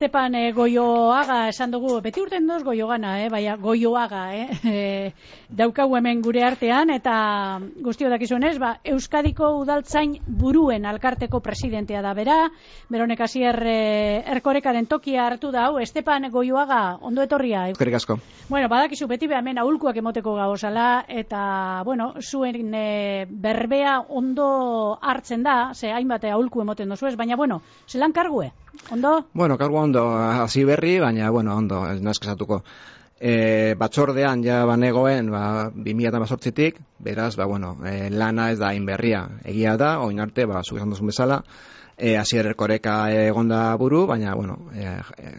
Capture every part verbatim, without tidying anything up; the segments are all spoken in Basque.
Estepan eh, Goioaga esan dugu, beti urten doz Goiogana, eh? Baina Goioaga, eh? e, daukagu hemen gure artean, eta guztio dakizuenez, ba, Euskadiko udaltzain buruen alkarteko presidentea da bera, Beronek Asier eh, Erkorekaren tokia hartu da, hau, Estepan Goioaga, ondo etorria. Eskerrik asko. Bueno, badakizu beti hemen aholkuak emoteko gauzala, eta, bueno, zuen e, berbea ondo hartzen da, ze hainbat aholku emoten dozu ez, baina, bueno, zelan kargue? Ondo? Bueno, kargu ondo, hasi berri, baina, bueno, ondo, ez nazkesatuko. E, batzordean ja banegoen, ba, bi mila hemezortzitik, beraz, ba, bueno, e, lana ez da hain berria. Egia da, oin arte, ba, zuk esan duzun bezala, e, Asier Erkoreka egonda buru, baina, bueno, e, e,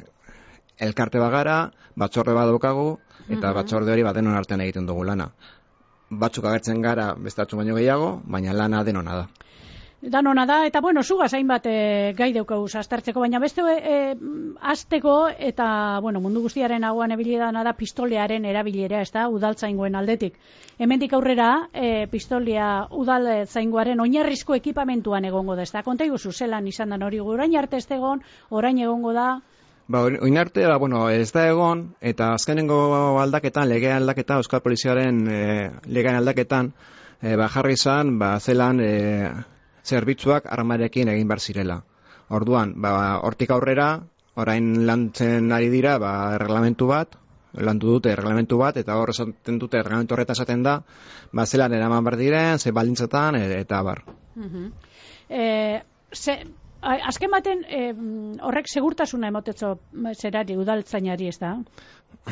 elkarte bagara, batzorde bat daukagu, eta uh-huh. batzorde hori bat denon artean egiten dugu lana. Batzuk agertzen gara, beste batzuk baino gehiago, baina lana denona da. Danona da, eta bueno, zugaz hainbat e, gai daukauz aztertzeko, baina beste e, azteko, eta bueno, mundu guztiaren aguan ebilidana da pistolearen erabilera, ez da, udaltzaingoen aldetik. Hemendik aurrera, e, pistolia udaltzaingoaren oinarrizko ekipamentuan egongo da, ez da, konta iguzu zelan izan da hori, orain arte ez da egon, orain egongo da. Ba, oin arte, ba, bueno, ez da egon, eta azkenengo aldaketan, legean aldaketa, Euskal Poliziaren e, legean aldaketan, e, ba, jarri izan, ba, zelan, e, zerbitzuak armarekin egin bar zirela. Orduan, ba, hortik aurrera, orain lantzen ari dira, ba, reglamentu bat, lantu dute reglamentu bat, eta hor esaten dute reglamentu horretan esaten da, ba, zelan eraman bar diren, ze baldintzatan, eta bar. Uh-huh. e, ze, azken baten, e, horrek segurtasuna emotetzo zerari, udaltzainari, ez da?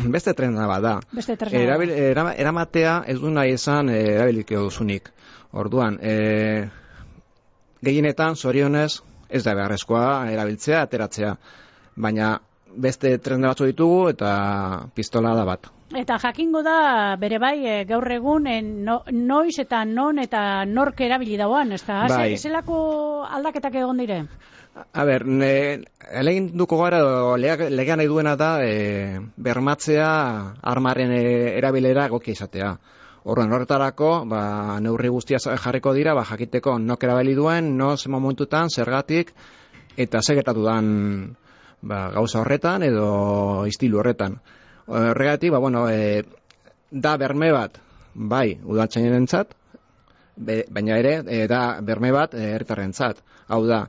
Beste trena bat da. Beste trena Erabil, era, eramatea ez du nahi izan e, erabiliko duzunik. Orduan, e, gehienetan, zorionez, ez da beharrezkoa erabiltzea, ateratzea. Baina beste tresna batzu ditugu eta pistola da bat. Eta jakingo da, bere bai, e, gaur egun, e, no, noiz eta non eta nork erabili dauan, ez da? Bai. Zelako aldaketak egon dire? A ber, elegin duko gara, legean nahi duena da, e, bermatzea armaren e, erabilera egokia izatea. Horren horretarako, ba, neurri guztia jarriko dira, ba, jakiteko nok erabili duen, no ze momentutan, zergatik, eta segertatu dan ba, gauza horretan edo istilu horretan. Horregatik, ba, bueno, e, da berme bat, bai, udaltzainentzat, baina ere, e, da berme bat herritarrentzat. Hau da,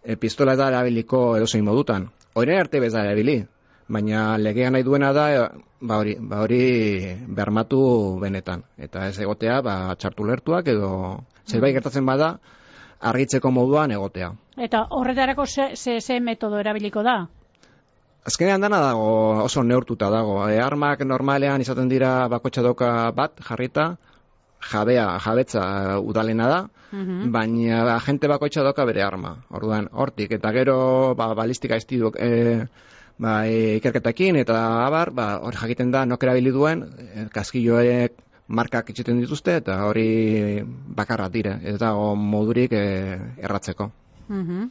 e, pistola da erabiliko edozein modutan. Horren arte bez da erabili, baina legean nahi duena da, ba hori, ba hori bermatu benetan. Eta ez egotea, ba, txartu lertuak edo zerbait gertatzen bada, argitzeko moduan egotea. Eta horretarako ze, ze, ze metodo erabiliko da? Azkenean dana dago, oso neurtuta dago. E, armak normalean izaten dira bakotxa doka bat jarrita, jabea, jabetza udalena da, uh-huh. baina agente bakotxa doka bere arma. Orduan, hortik, eta gero ba, balistika estiduk, e, ba, e, ikerketakin eta abar, ba, hori jakiten da nok erabili duen, e, kaskilloek markak itxeten dituzte eta hori bakarra dire, ez dago modurik e, erratzeko. Uh-huh.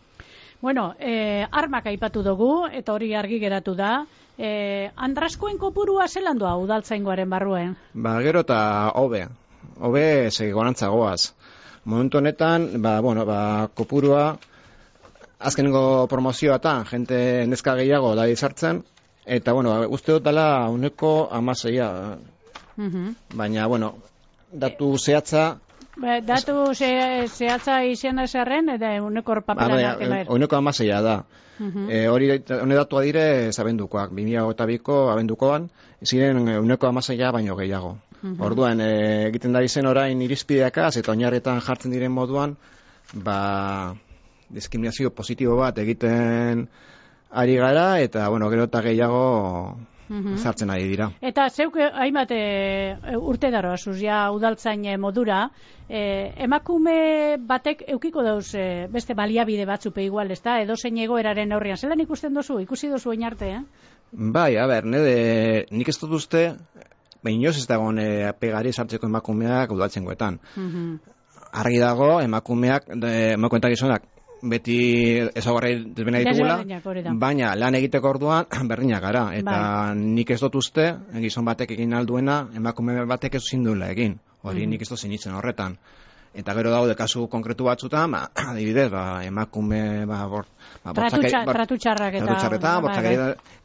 Bueno, e, armak aipatu dugu eta hori argi geratu da. E, Andraskoen kopurua zelan doa udaltzaingoaren barruen? Ba, gero eta hobe, hobe segonantza goaz. Momentu honetan, ba, bueno, ba, kopurua azkenengo promozioatan, jente neska gehiago da izartzen, eta, bueno, uste dut dela uneko amaseia. Uh-huh. Baina, bueno, datu zehatza... Ba, datu ze, zehatza izan ezarren, eta uneko papelanak ba, uneko amaseia da. Uh-huh. E, hori, hone datua dire, abendukoak, bi mila hogeita biko abendukoan, ziren uneko amaseia baino gehiago. Uh-huh. Orduan, e, egiten da izen orain irizpideakaz, eta oinarretan jartzen diren moduan, ba... diskriminazio positibo bat egiten ari gara, eta, bueno, gero eta gehiago uh-huh. zartzen ari dira. Eta zeuk hainbat e, urte daro, azuz, ja udaltzain modura, e, emakume batek eukiko dauz e, beste baliabide batzupe igual, ez da, edo zein egoeraren aurrian. Zelan ikusten dozu, ikusi dozu oin arte, eh? Bai, a ber, nede, nik ez dut uste, behin inoz ez dagoen e, pegari sartzeko emakumeak udaltzaingoetan. Uh-huh. Argi dago, emakumeak, emakumeetak gizonak, beti ezagarri desbena ditugula, baina lan egiteko orduan berdinak gara, eta bai. Nik ez dut uste, gizon batek egin alduena, emakume batek ez zindula egin, hori mm. nik ez dut zinitzen horretan. Eta gero daude kasu konkretu batzutan, ba, adibidez, ba, emakume, ba, bor, ba, tratu txarrak eta... Tratu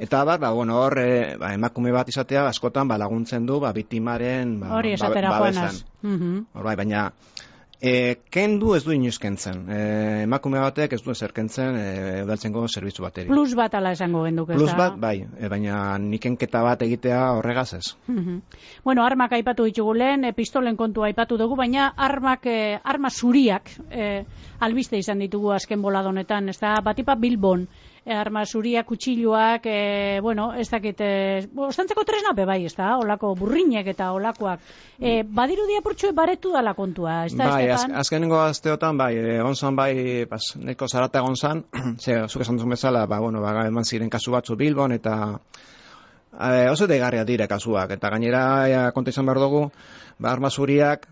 eta bat, ba, bueno, hor, e, ba, emakume bat izatea, askotan, ba, laguntzen du, ba, biktimaren, ba, hori esatera ba, joanaz. Hor, bai, baina, e, kendu ez du inoiz kentzen. E, emakume batek ez du ezer kentzen e, udaltzaingo zerbitzu bateri. Plus bat ala esango genduk, ez da? Plus bat, bai, e, baina nikenketa bat egitea horregaz ez. Bueno, armak aipatu ditugu lehen, e, pistolen kontua aipatu dugu, baina armak, e, arma zuriak e, albiste izan ditugu azken boladonetan, ez da, batipa Bilbon, e, arma zuriak, kutxiluak, e, bueno, ez dakit, e, ostantzeko tresna be bai, ez da, olako burrinek eta olakoak. E, badiru diapurtxue baretu dala kontua, ez da, bai, az, azkenengo azteotan, bai, egon zan, bai, pas, neko zarata egon zan, ze, zuk esan duzun bezala, ba, bueno, ba, eman ziren kasu batzu Bilbon, eta e, oso degarria dire kasuak, eta gainera e, konta izan behar dugu, ba, arma zuriak,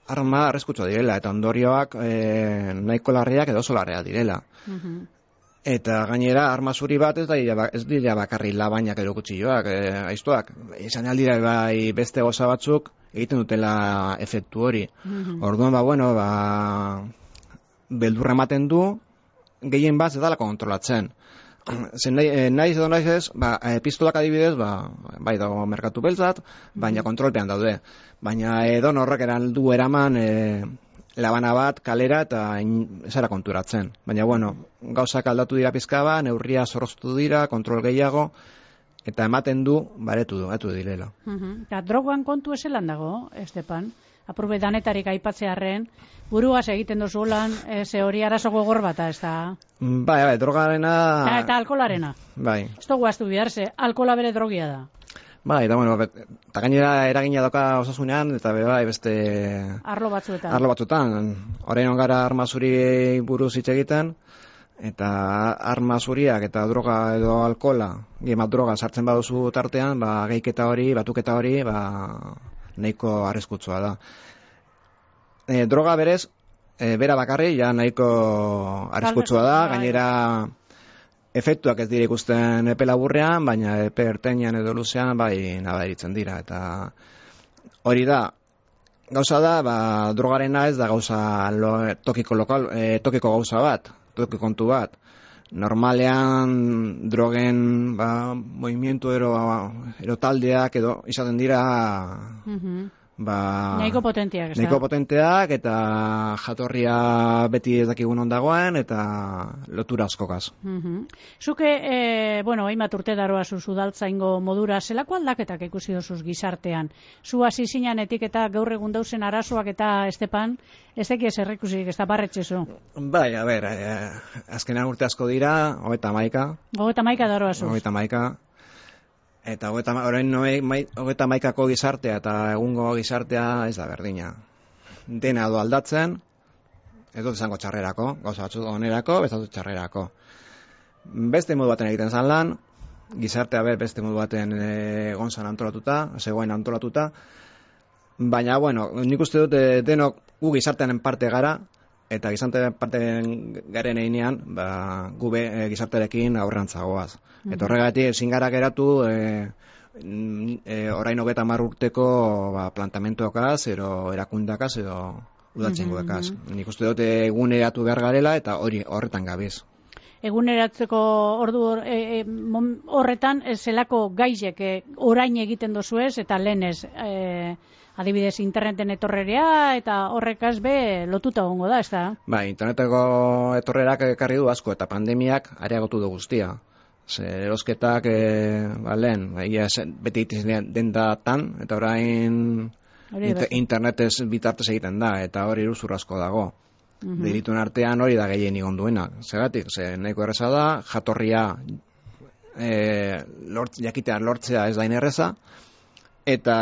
arma arreskutsu direla, eta ondorioak e, nahiko larriak edo oso larriak direla. Uh-huh. Eta gainera, arma zuri bat ez da ez dira bakarri labainak edo kutxilloak, e, aiztuak. Izan aldira bai beste goza batzuk egiten dutela efektu hori. Mm-hmm. Orduan, ba, bueno, ba, beldurra ematen du, gehien bat ez dala kontrolatzen. Zen nahi, nahiz edo nahiz ez, ba, e, pistolak adibidez, ba, bai dago merkatu beltzat, baina mm-hmm. kontrolpean daude. Baina edo norrek eran du eraman... E, labana bat, kalera eta zara konturatzen. Baina, bueno, gauzak aldatu dira pizka ba, neurria zorroztu dira, kontrol gehiago, eta ematen du, baretu du, atu direla. Uh-huh. Eta drogan kontu eselan dago, Estepan? Apurbe danetarik aipatzearren, buruaz egiten dozu lan, ze hori arazo gogor bata, ez da? Bai, bai, drogarena... Eta, eta alkolarena. Bai. Ez dugu aztu bidarze, alkola bere drogia da. Bai, eta bueno, eta gainera eragina doka osasunean, eta be bai beste... Arlo batzuetan. Arlo batzuetan. Orain gara arma zuri buruz hitz egiten, eta arma zuriak eta droga edo alkola, gehiamat droga sartzen baduzu tartean, ba, gehiketa hori, batuketa hori, ba, nahiko arriskutsua da. E, droga berez, e, bera bakarri, ja nahiko arriskutsua da, gainera... Efektuak ez dira ikusten epe laburrean, baina epe ertainean edo luzean bai nabaritzen dira. Eta hori da, gauza da, ba, drogarena ez da gauza lo, tokiko, lokal, e, tokiko gauza bat, tokiko kontu bat. Normalean drogen ba, movimientu ero, ero taldeak edo izaten dira... Mm-hmm. Ba, nahiko potenteak, ez da? Nahiko potenteak eta jatorria beti ez dakigun ondagoen eta lotura askokaz. Uh-huh. Zuke, e, bueno, hainbat urte daroa zuzudaltzaingo modura, zelako aldaketak ikusi dozuz gizartean? Zu hasi zinanetik eta gaur egun dauzen arazoak eta Estepan, ez deki ez errekusik, ez da barretxezu? Bai, a ber, eh, azkenean urte asko dira, hogeita maika. Hogeita maika daroa zuz? Hogeita maika. Eta hogeita maikako gizartea eta egungo gizartea ez da berdina. Dena do aldatzen, ez dut esango txarrerako, gauza batzu onerako, ez dut txarrerako. Beste modu baten egiten zan lan, gizartea ber beste modu baten egon zan antolatuta, zegoen antolatuta, baina, bueno, nik uste dut denok gu gizartearen parte gara, eta gizartearen parte garen einean, ba, gu be, e, gizartearekin aurrantzagoaz. Eta horregatik ezin gara geratu e, e, orain hogeita hamar urteko ba, plantamentuakaz, ero erakundakaz, edo udaltzaingoekaz. Mm-hmm. Nik uste dut eguneratu behar garela eta hori horretan gabiz. Eguneratzeko ordu e, e, horretan zelako gaizek e, orain egiten dozuez eta lehenez e, adibidez interneten etorrerea eta horrekaz be lotuta egongo da, ez da? Ba, interneteko etorrerak ekarri du asko eta pandemiak areagotu du guztia. Ze erosketak e, ba, lehen, ba, beti egiten den datan, eta orain inter, internetez bitartez egiten da, eta hori iruzur asko dago. Mm-hmm. Delituen artean hori da gehien igon duena. Zeratik, ze nahiko erreza da, jatorria e, lort, jakitea lortzea ez da inerreza, eta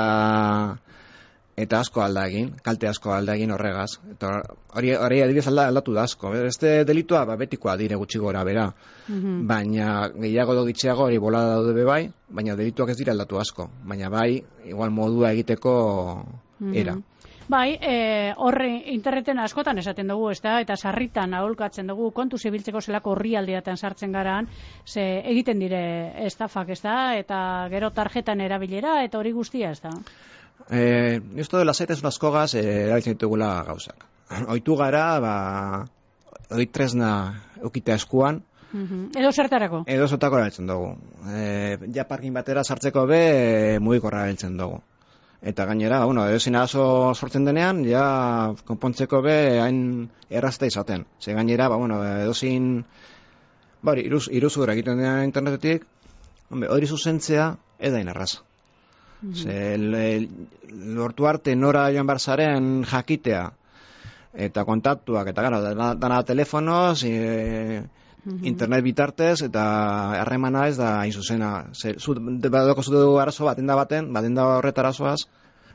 eta asko alda egin, kalte asko alda egin horregaz. Eta hori, hori adibidez alda, aldatu da asko. Este delitua ba, betikoa dire gutxi gora bera. Mm-hmm. Baina gehiago do gitxeago hori bolada daude bai, baina delituak ez dira aldatu asko. Baina bai, igual modua egiteko era. Mm-hmm. Bai, e, horre interneten askotan esaten dugu, ez da, eta sarritan aholkatzen dugu, kontu zibiltzeko zelako horri aldeatan sartzen garaan, ze egiten dire estafak, ez da, eta gero tarjetan erabilera, eta hori guztia, ez da. Eh, Justo de lasaitasun askogaz eh, erabiltzen ditugula gauzak. Oitu gara, ba, hori tresna eukita eskuan, Mhm. Edo zertarako? edo zotako erabiltzen dugu. E, ja parkin batera sartzeko be, e, mugikorra erabiltzen dugu. Eta gainera, bueno, edozin arazo sortzen denean, ja konpontzeko be hain errazta izaten. Ze gainera, ba, bueno, edozin, ba, hori, iruz, iruzura egiten denean internetetik, hombre, hori zuzentzea, edain erraz. Mm-hmm. Ze, le, lortu arte nora joan barzaren jakitea, eta kontaktuak, eta gara, dana, dana telefonoz, e, mm-hmm. internet bitartez, eta harremana ez da hain zuzena. Ze, zu, badoko zutu arazo bat, denda baten, ba, denda horret arazoaz,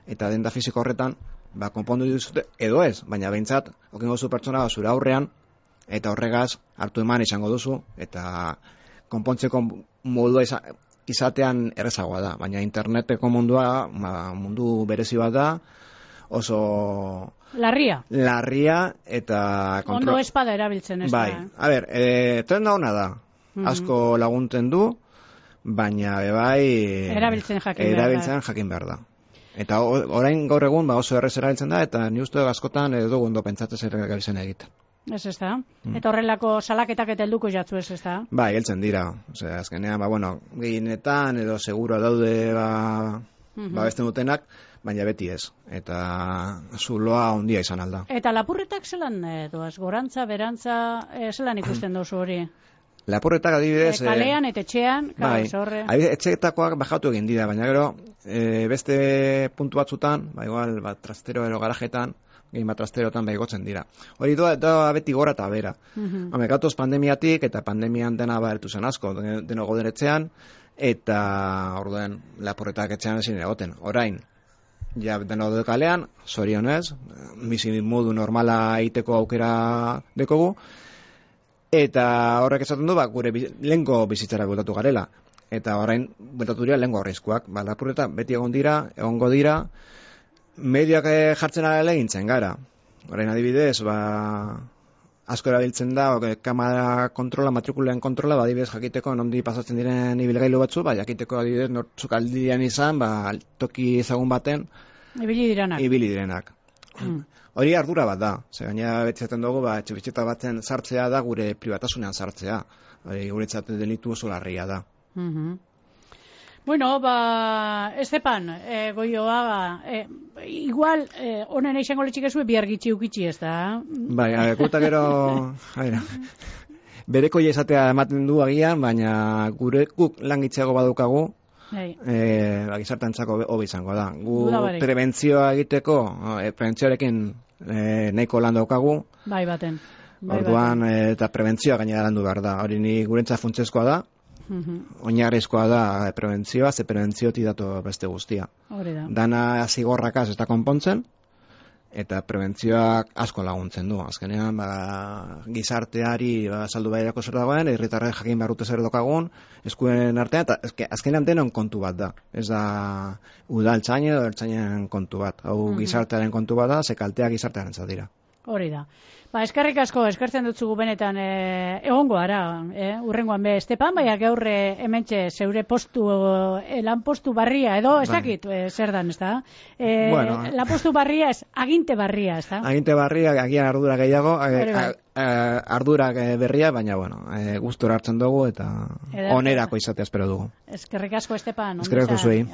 eta denda fiziko horretan, ba, konpondu dituzute, edo ez, baina behintzat, okingo zu pertsona zure aurrean, eta horregaz hartu eman izango duzu, eta konpontzeko modua iza, izatean errezagoa da, baina interneteko mundua, ba, mundu berezi bat da, oso... Larria. Larria, eta... Kontro... Ondo espada erabiltzen ez bai. da. A ber, e, trenda hona da, mm-hmm. asko laguntzen du, baina bai... Erabiltzen jakin behar da. Erabiltzen jakin behar da. Eta orain gaur egun ba, oso errez erabiltzen da, eta ni uste askotan edo ondo pentsatzen zer gabiltzen egiten. Ez ez da. Mm. Eta horrelako salaketak eta helduko jatzu ez ez da. Bai, heltzen dira. Osea, azkenean, ba, bueno, gehienetan edo seguro daude ba, mm-hmm. ba beste dutenak, baina beti ez. Eta zuloa ondia izan alda. Eta lapurretak zelan doaz? Gorantza, berantza, e, zelan ikusten dozu hori? Lapurretak adibidez... E, kalean eta etxean, bai, horre. Etxeetakoak bajatu egin dira, baina gero e, beste puntu batzutan, ba, igual, ba, trastero ero garajetan, gehi bat trasterotan bai gotzen dira. Hori doa, doa beti gora eta bera. Mm-hmm. Hame, gatoz pandemiatik, eta pandemian dena bahertu zen asko, deno goden etxean, eta orduen lapurretak etxean ezin egoten. Orain, ja deno de kalean, zorionez, bizi modu normala egiteko aukera dekogu, eta horrek esaten du, ba, gure lehenko bizitzara bueltatu garela. Eta orain, bueltatu dira lehenko arriskuak. Ba, lapurretak beti egon dira, egongo dira, medioak jartzen ala egintzen gara. Orain adibidez, ba, asko erabiltzen da, okay, kamera kontrola, matrikulen kontrola, ba, adibidez jakiteko nondi pasatzen diren ibilgailu batzu, ba, jakiteko adibidez nortzuk aldian izan, ba, toki ezagun baten ibili direnak. Ibili direnak. Mm. Hori ardura bat da. Ze gaina beti zaten dugu, ba, etxebizitza batzen sartzea da gure pribatasunean sartzea. Hori guretzat delitu oso larria da. Mm-hmm. Bueno, ba, Estepan, eh, Goioaga, eh, igual, eh, honen eixango letxik ezue bihar gitxi ukitxi ez da? Bai, a ver, guta gero, a ver, bereko izatea ematen du agian, baina gure guk langitzeago badukagu, hey. eh, ba, gizartantzako hobi izango da. Gu prebentzioa egiteko, eh, prebentzioarekin eh, nahiko lan daukagu. Bai baten. Bai, orduan, baten. Eh, eta prebentzioa gainera landu behar da. Hori ni gurentza funtsezkoa da. Mm-hmm. Oinarrizkoa da prebentzioa, ze prebentziotik datu beste guztia. Hori da. Dana zigorrakaz ez da konpontzen, eta prebentzioak asko laguntzen du. Azkenean, ba, gizarteari ba, saldu bairako zer dagoen, herritarrek jakin barrute zer dokagun, eskuen artean, eta azkenean denon kontu bat da. Ez da udaltzain edo ertzainen kontu bat. Hau mm-hmm. gizartearen kontu bat da, ze kalteak gizartearen dira. Hori da. Ba, eskerrik asko, eskertzen dutzugu benetan e, egongo ara, e, urrengoan be, Estepan, baina gaur e, hementxe zeure postu, e, lan postu barria, edo, ez dakit, e, zer dan, ez da? E, bueno. Lan postu barria, ez, aginte barria, ez da? Aginte barria, agian ardura gehiago, a, a, ardurak berria, baina, bueno, e, gustora hartzen dugu, eta onerako izatea espero dugu. Eskerrik asko, Estepan. Eskerrik asko zuei.